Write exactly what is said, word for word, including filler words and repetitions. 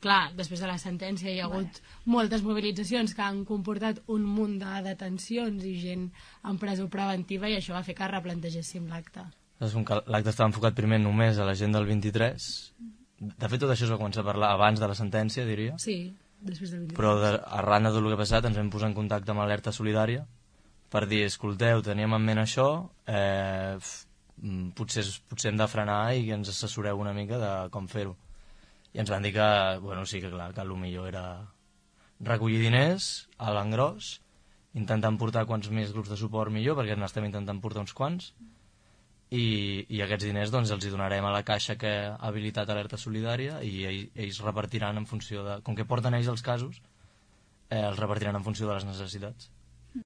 clar, després de la sentència hi ha hagut moltes mobilitzacions que han comportat un munt de detencions i gent en presó preventiva, i això va fer que replantegéssim l'acte. L'acte estava enfocat primer només a la gent del vint-i-tres. De fet, tot això es va començar a parlar abans de la sentència, diria. Sí, després del vint-i-tres. Però de, arran de tot el que ha passat ens vam posar en contacte amb Alerta Solidària per dir, escolteu, teníem en ment això, eh, potser, potser hem de frenar i que ens assessoreu una mica de com fer-ho. I ens van dir que, bueno, sí que clar, que el millor era recollir diners a l'engròs, intentant portar quants més grups de suport millor, perquè n'estem intentant portar uns quants, i, i aquests diners doncs, els hi donarem a la caixa que ha habilitat Alerta Solidària i ell, ells repartiran en funció de... Com que porten ells els casos, eh, els repartiran en funció de les necessitats.